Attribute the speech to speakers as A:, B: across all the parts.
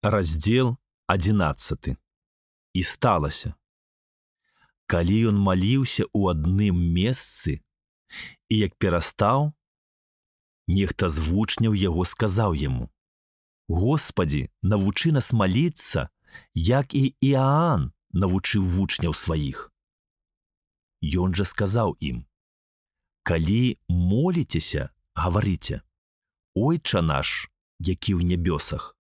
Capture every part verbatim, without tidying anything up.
A: Раздзел адзінаццаты. І сталася, калі ён маліўся ў адным месцы, і як перастаў, нехта з вучняў яго сказаў яму: «Господі, навучы нас маліцца, як і Іаан навучыў вучняў сваіх». Ён жа сказаў ім: «Калі моліцеся, гаварыце: Ойча наш, які ў нябёсах,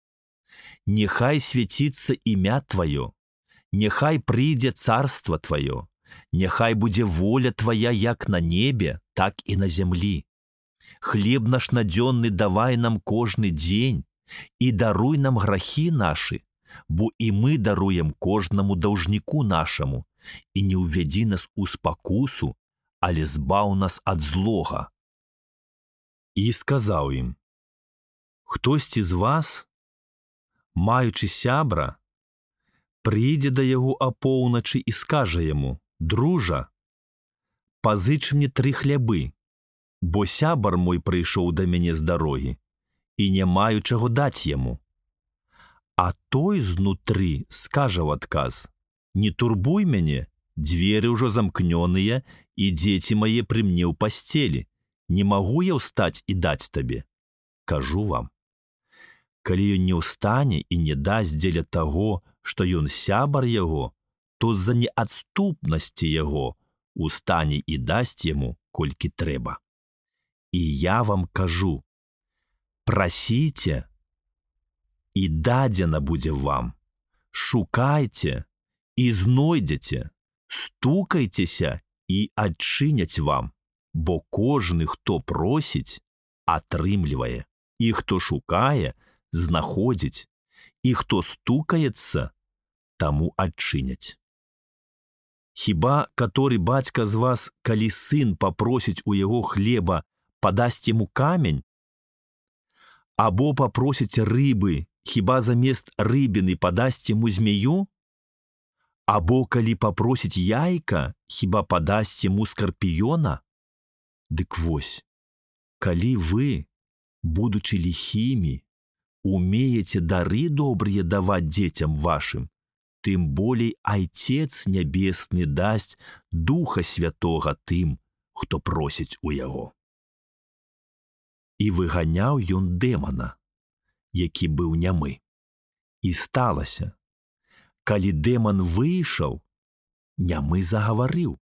A: нехай свяціцца імя Тваё, няхай прыйдзе царства Тваё, няхай будзе воля Твая як на небе, так і на зямлі. Хлеб наш надзённы давай нам кожны дзень, і даруй нам грахі нашы, бо і мы даруем кожнаму даўжніку нашаму, і не ўвядзі нас у спакусу, але збаў нас ад злога». І сказаў ім: «Хтосьці з вас, маючы сябра, прыйдзе да яго апоўначы і скажа яму: Дружа, пазыч мне тры хлябы, бо сябар мой прыйшоў да мяне з дарогі, і не маю чаго даць яму. А той знутры скажа ў адказ: Не турбуй мяне, дзверы ўжо замкнёныя, і дзеці мае пры мне ў пасцелі, не магу я ўстаць і даць табе. Кажу вам, калі ён не ўстане і не дасць дзеля таго, што ён сябар яго, то з-за неадступнасці яго устане і дасць яму, колькі трэба. І я вам кажу: прасіце, і дадзена будзе вам, шукайце, і знойдзеце, стукайцеся, і адчыняць вам, бо кожны, хто просіць, атрымлівае, і хто шукае, знаходзіць, і хто стукаецца, таму адчыняць. Хіба каторы бацька з вас, калі сын папросіць у яго хлеба, падасць яму камень? Або папросіць рыбы, хіба замест рыбіны падасць яму змею? Або калі папросіць яйка, хіба падасць яму скарпіёна? Дык вось, калі вы, будучы ліхімі, умееце дары добрыя даваць дзецям вашым, тым болей Айцец Нябесны дасць Духа Святога тым, хто просіць у яго». І выганяў ён дэмана, які быў нямы. І сталася, калі дэман выйшаў, нямы загаварыў,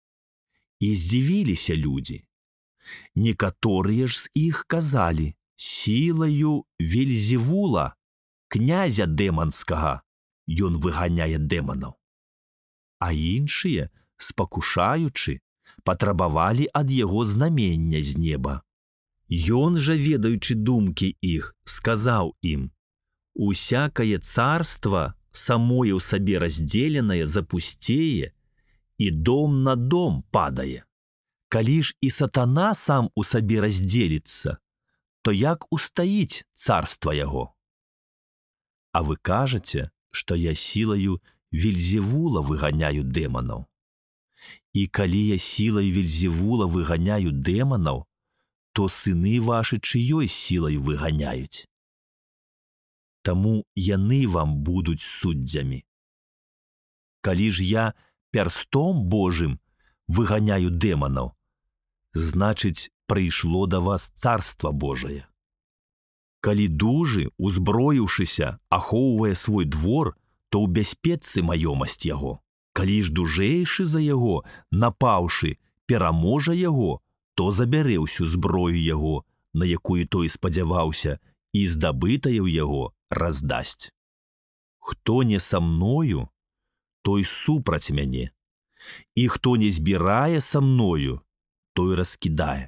A: і здзівіліся людзі. Некаторыя ж з іх казалі: «Сілаю Вельзевула, князя дэманскага, ён выганяе дэманаў». А іншыя, спакушаючы, патрабавалі ад яго знамення з неба. Ён жа, ведаючы думкі іх, сказаў ім: «Усякае царства самое ў сабе раздзеленае запусцее, і дом на дом падае. Калі ж і сатана сам у сабе раздзеліцца, то як устаіць царства яго? А вы кажаце, што я сілаю Вельзевула выганяю дэманаў. І калі я сілай Вельзевула выганяю дэманаў, то сыны вашы чыёй сілай выганяюць? Таму яны вам будуць суддзямі. Калі ж я пярстом Божым выганяю дэманаў, значыць, прыйшло да вас царства Божае. Калі дужы, узброіўшыся, ахоўвае свой двор, то ў бяспецы маёмасць яго. Калі ж дужэйшы за яго, напаўшы, пераможа яго, то забярэ ўсю зброю яго, на якую той спадзяваўся, і здабытае ў яго раздасць. Хто не са мною, той супраць мяне, і хто не збірае са мною, той раскідае.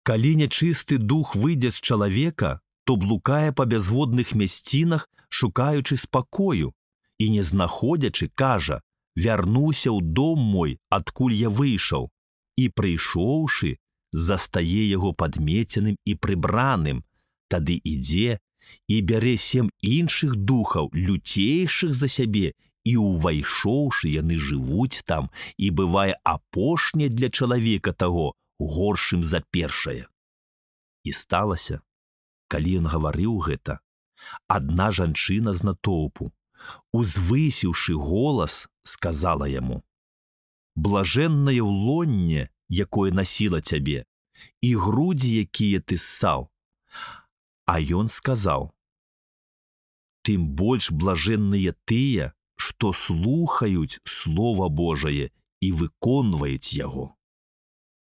A: Калі нячысты дух выйдзе з чалавека, то блукае па бязводных мясцінах, шукаючы спакою, і не знаходзячы, кажа: «Вярнуся ў дом мой, адкуль я выйшаў», і, прыйшоўшы, застае яго падмеценым і прыбраным, тады ідзе і бярэ сем іншых духаў, люцейшых за сябе, і, увайшоўшы, яны жывуць там, і бывае апошняе для чалавека таго горшым за першае. І сталася, калі ён гаварыў гэта, Адна жанчына з натоўпу, узвысіўшы голас, сказала яму: «Блажэннае ўлонне, якое насіла цябе, і грудзі, якія ты ссаў». А ён сказаў: «Тым больш блажэнныя тыя, што слухаюць Слова Божае і выконваюць яго».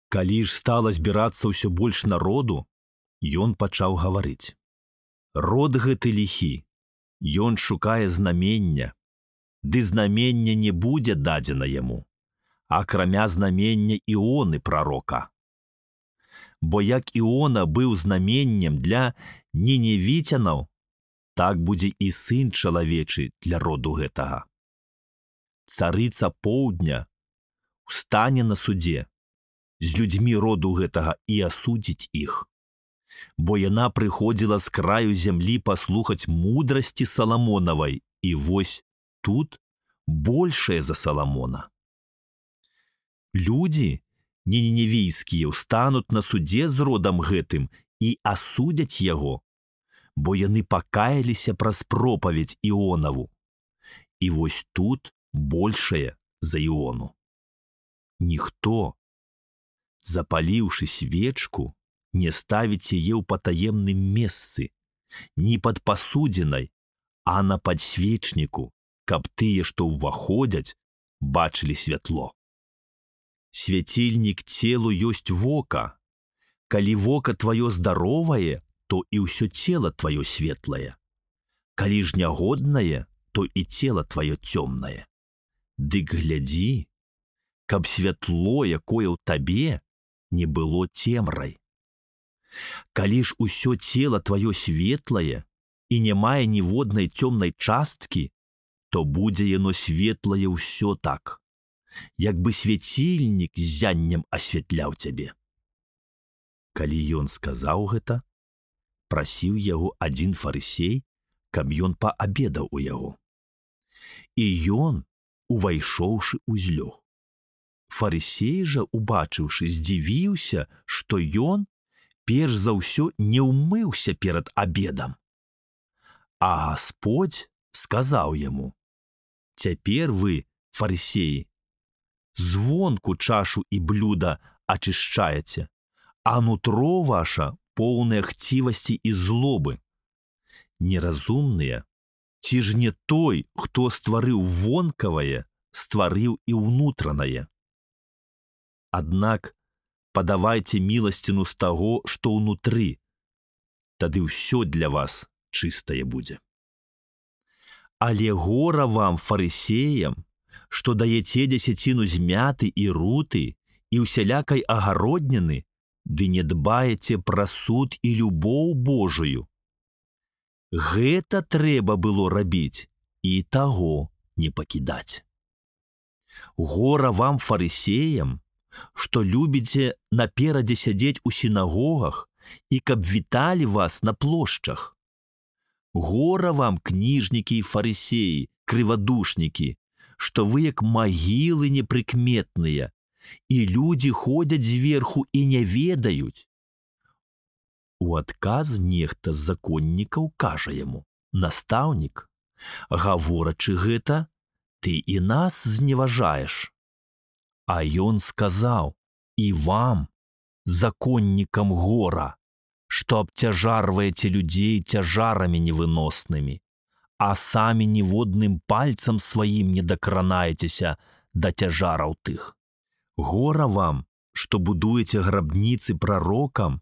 A: Калі ж стала збірацца ўсё больш народу, ён пачаў гаварыць: «Род гэты ліхі, ён шукае знамення, ды знамення не будзе дадзена яму, акрамя знамення Іоны прарока. Бо як Іона быў знаменнем для ніневіцянаў, так будзе і сын чалавечы для роду гэтага. Царыца поўдня устане на судзе з людзьмі роду гэтага і асудзіць іх, бо яна прыходзіла з краю зямлі паслухаць мудрасці Саламонавай, і вось тут большая за Саламона. Людзі ніневійскія ўстануць на судзе з родам гэтым і асудзяць яго, бо яны пакаяліся праз пропаведь Іонаву. І вось тут большае за Іону. Ніхто, запаліўшы свечку, не ставіць яе ў патаемным месцы, ні пад пасудзінай, а на падсвечніку, каб тыя, што ўваходзяць, бачылі святло. Свяцільнік целу ёсць вока. Калі вока тваё здаровае, то і ўсё цела тваё светлае. Калі ж нягоднае, то і цела тваё цёмнае. Дык глядзі, каб святло, якое ў табе, не было цемрай. Калі ж усё цела тваё светлае і не мае ніводнай цёмнай часткі, то будзе яно светлае ўсё так, як бы свяцільнік з зяннем асвятляў цябе». Калі ён сказаў гэта, прасіў яго адзін фарысей, каб ён паабедаў у яго. І ён, увайшоўшы, узлёг. Фарысей жа, убачыўшы, здзівіўся, што ён перш за ўсё не ўмыўся перад абедам. А Гасподзь сказаў яму: «Цяпер вы, фарысеі, звонку чашу і блюда ачышчаеце, а нутро ваша поўнае хцівасці і злобы. Неразумныя, ці ж не той, хто стварыў вонкавае, стварыў і ўнутранае? Аднак падавайце міласціну з таго, што ўнутры, тады ўсё для вас чыстае будзе. Але гора вам, фарысеям, што даяце дзесяціну змяты і руты і ўсялякай агародніны, ды не дбаеце пра суд і любоў Божую. Гэта трэба было рабіць і таго не пакідаць. Гора вам, фарысеям, што любіце наперадзе сядзець у сінагогах і каб віталі вас на плошчах. Гора вам, кніжнікі і фарысеі, крывадушнікі, што вы як магілы непрыкметныя, і людзі ходзяць зверху і не ведаюць». У адказ нехта з законнікаў кажа яму: «Настаўнік, гаворачы гэта, ты і нас зневажаеш». А ён сказаў: «І вам, законнікам гора, што абцяжарваеце людзей цяжарамі невыноснымі, а самі ніводным пальцам сваім не дакранаецеся да цяжараў тых. Гора вам, што будуеце грабніцы прарокам,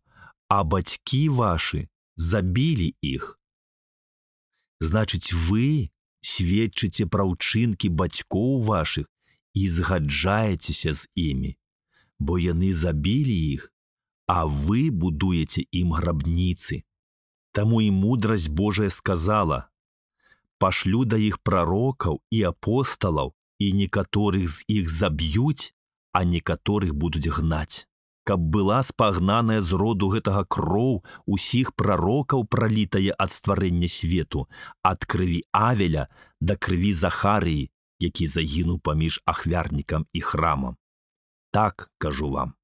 A: а бацькі вашы забілі іх. Значыць, вы сведчыце пра ўчынкі бацькоў вашых і згаджаецеся з імі, бо яны забілі іх, а вы будуеце ім грабніцы. Таму і мудрасць Божая сказала: пашлю да іх прарокаў і апосталаў, і некаторых з іх заб'юць, а некаторых будуць гнаць, каб была спагнаная з роду гэтага кроў усіх прарокаў, пралітая ад стварэння свету, ад крыві Авеля да крыві Захарыі, які загінуў паміж ахвярнікам і храмам. Так, кажу вам,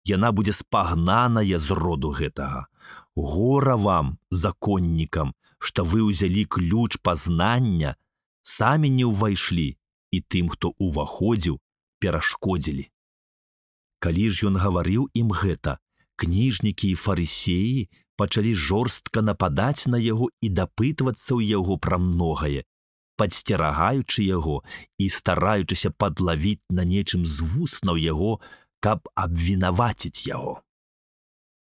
A: яна будзе спагнаная з роду гэтага. Гора вам, законнікам, што вы ўзялі ключ пазнання, самі не ўвайшлі, і тым, хто ўваходзіў, перашкодзілі. Калі ж ён гаварыў ім гэта, кніжнікі і фарысеі пачалі жорстка нападаць на яго і дапытвацца ў яго пра многае, падсцерагаючы яго і стараючыся падлавіць на нечым з вуснаў яго, каб абвінаваціць яго.